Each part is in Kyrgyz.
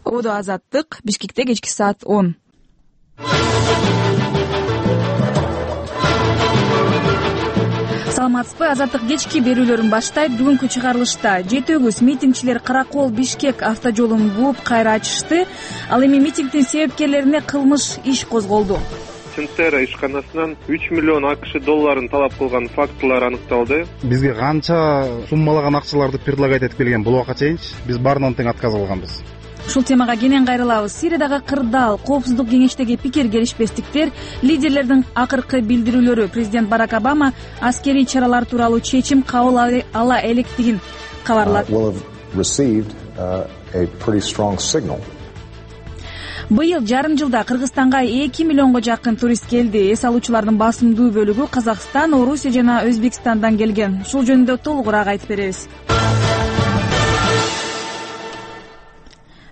Ободо Азаттык, Бишкекте кечки саат 10. Саламатсызбы, Азаттык кечки берүүлөрүн баштайт. Бүгүнкү чыгарылышта 7 митингчилер Каракол Бишкек автожолун бууп кайра ачышты. Ал эми митингдин себепкерлерине кылмыш иш козголду. Центера ишканасынан 3 миллион АКШ долларын талап кылган фактылар аныкталды. Бизге канча суммалаган акчаларды предлагать этип келген бул убакка чейинчи биз баарынан тең отказ алганбыз. Ушул темага кенен кайрылабыз. Сириядагы кырдаал, коопсуздук кеңештеги пикир келишпестиктер, лидерлердин акыркы билдирүүлөрү, президент Барак Обама аскерий чаралар тууралуу чечим кабыл ала электигин кабарлады. Быйыл жарым жылда Кыргызстанга 2 миллионго жакын турист келди. Эс алуучулардын басымдуу бөлүгү Казакстан, Орусия жана Өзбекстандан келген. Ушул жөнүндө толугураак айтып беребиз.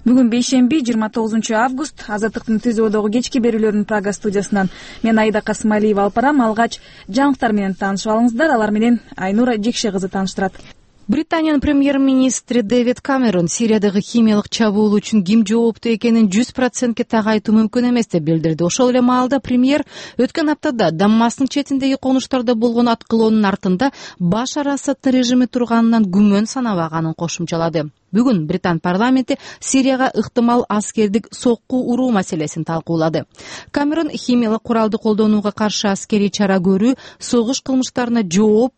Бүгүн бейшемби 29 август. Азаттыктын Түзөөдөгү кечки берүүлөрүнүн Прага студиясынан мен Айда Касымалиева алып барам. Алгач жаңылыктар менен таанышып алыңыздар. Алар менен Айнура Жекше кызы тааныштырат. Британиянын премьер-министри Дэвид Камерон Сириядагы химиялык чабуул үчүн ким жооптуу экенин 100% так айтуу мүмкүн эмес деп билдирди. Ошол эле маалда премьер өткөн аптада Даммастын четиндеги конуштарда болгон аткылоонун артында Башар Асаддын режими турганынан күмөн санабаганын кошумчалады. Бүгүн Британ парламенти Сирияга ыктымал аскердик сокку уруу маселесин талкуулады. Камерон химиялык куралды колдонууга каршы аскерий чара көрүү согуш кылмыштарына жооп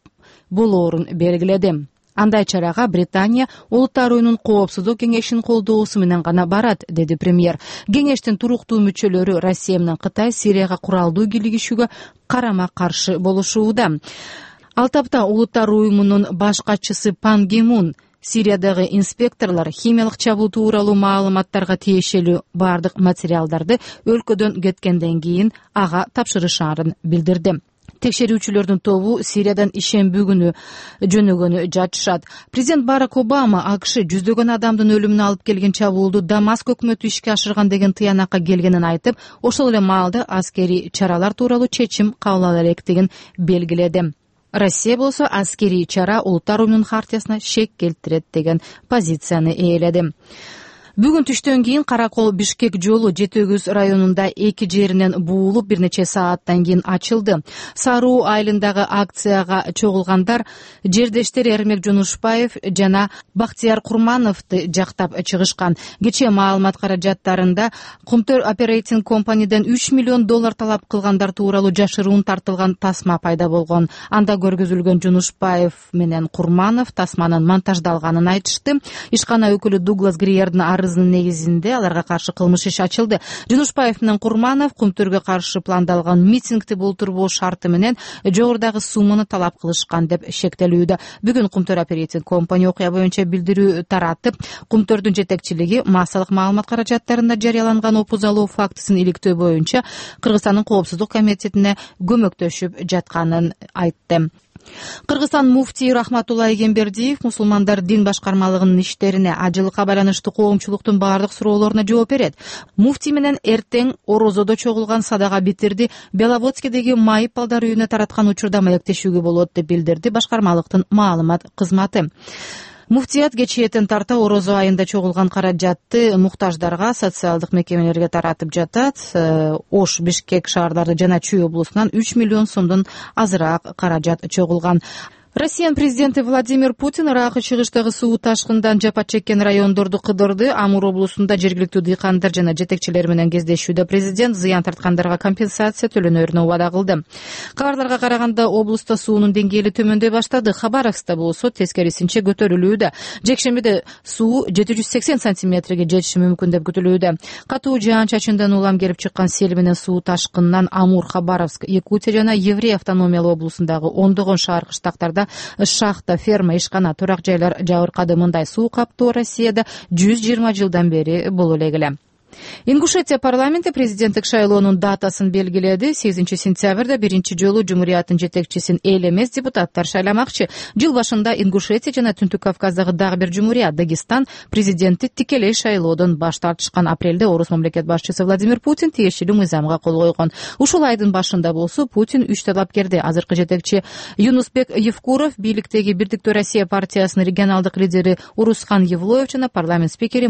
болоорун белгиледи. Андай чарага Британия Улуттар уюмунун коопсуздук кеңешинин колдоосу менен гана барат, деди премьер. Кеңештин туруктуу мүчөлөрү Россия менен Кытай Сирияга куралдуу кийлигишүүгө карама-каршы болушууда. Ал тапта Улуттар уюмунун баш катчысы Пан Ги Мун Сириядагы инспекторлор химиялык чабуул тууралуу маалыматтарга тиешелүү бардык материалдарды өлкөдөн кеткенден кийин ага тапшырышаарын билдирди. Текшерүүчүлөрдүн тобу Сириядан ишемби күнү жөнөгөнү жатышат. Президент Барак Обама АКШ жүздөгөн адамдын өлүмүнө алып келген чабуулду Дамаск өкмөтү ишке ашырган деген тыянакка келгенин айтып, ошол эле маалда аскерий чаралар тууралуу чечим кабыл ала электигин белгиледи. Россия болсо аскерий чара Улуттар уюмунун хартиясына шек келтирет деген позицияны ээледи. Бүгүн түштөн кийин Каракол Бишкек жолу Жетөгүз районунда эки жеринен буулуп бир нече сааттан кийин ачылды. Саруу айылындагы акцияга чогулгандар жердештери Эрмек Жонушбаев жана Бактияр Курмановду жактап чыгышкан. Кечээ маалымат каражаттарында Кумтөр Operating Company'ден 3 миллион доллар талап кылгандар тууралуу жашыруун тартылган тасма пайда болгон. Анда көргөзүлгөн Жонушбаев менен Курманов тасманын монтаждалганын айтышты. Ишкана өкүлү Дуглас Гриердин негизинде аларга каршы кылмыш иш ачылды. Жунушбаев менен Курманов Кумтөргө каршы пландалган митингди болтурбоо шарты менен жогорудагы сумманы талап кылышкан деп шектелүүдө. Бүгүн Кумтөр Operating Company окуя боюнча билдирүү таратып, Кумтөрдүн жетекчилиги массалык маалымат каражаттарында жарыяланган опузалоо фактысын иликтөө боюнча Кыргызстандын коопсуздук комитетине көмөктөшүп жатканын айтты. Кыргызстан муфтии Рахматулла Эгембердиев мусулмандар дин башкармалыгынын иштерине ажылыкка байланыштуу коомчулуктун бардык суроолоруна жооп берет. Муфтий менен эртең Орозодо чогулган садага битирди Беловодскидеги майып балдар үйүнө тараткан учурда маектешүүгө болот деп билдирди башкармалыктын маалымат кызматы. Муфтият кечээден тарта Орозо айында чогулган каражатты муктаждарга, социалдык мекемелерге таратып жатат. Ош, Бишкек шаардары жана Чүй облусунан 3 миллион сомдон азыраак каражат чогулган. Россиянын президенти Владимир Путин Иракы чыгыштагы суу ташкындан жапа чеккен райондорду кыдырды. Амур облусунда жергиликтүү дыйкандар жана жетекчилер менен кездешүүдө президент зыян тарткандарга компенсация төлөнөрүн убада кылды. Кабарларга караганда облуста суунун деңгээли төмөндөй баштады. Хабаровскта болсо тескерисинче көтөрүлүүдө. Жекшембиде суу 780 сантиметрге жетиши мүмкүн деп күтүлүүдө. Катуу жаан-чачындан улам келип чыккан сел менен суу ташкынынан Амур, Хабаровск, Якутия жана Еврей автономиялуу облусундагы ондогон шаар кыштактарда шахта, ферма, ишкана, турак жайлар жабыркады. Мындай суу каптоо Россияда 120 жылдан бери боло эле. Ингушетия парламенти президенттик шайлоонун датасын белгиледи. 8-сентябрда биринчи жолу жумурияттын жетекчисин эл эмес депутаттар шайламакчы. Жыл башында Ингушетия жана Түндүк Кавказдагы дагы бир жумурия Дагестан президенти тикелей шайлоодон баш тартышкан. Апрелде орус мамлекет башчысы Владимир Путин тиешелүү мыйзамга кол койгон. Ушул айдын башында болсо Путин 3 талапкерди азыркы жетекчи Юнусбек Евкуров, бийликтеги Бирдиктүү Россия партиясынын регионалдык лидери Урусхан Евлоев жана парламент спикери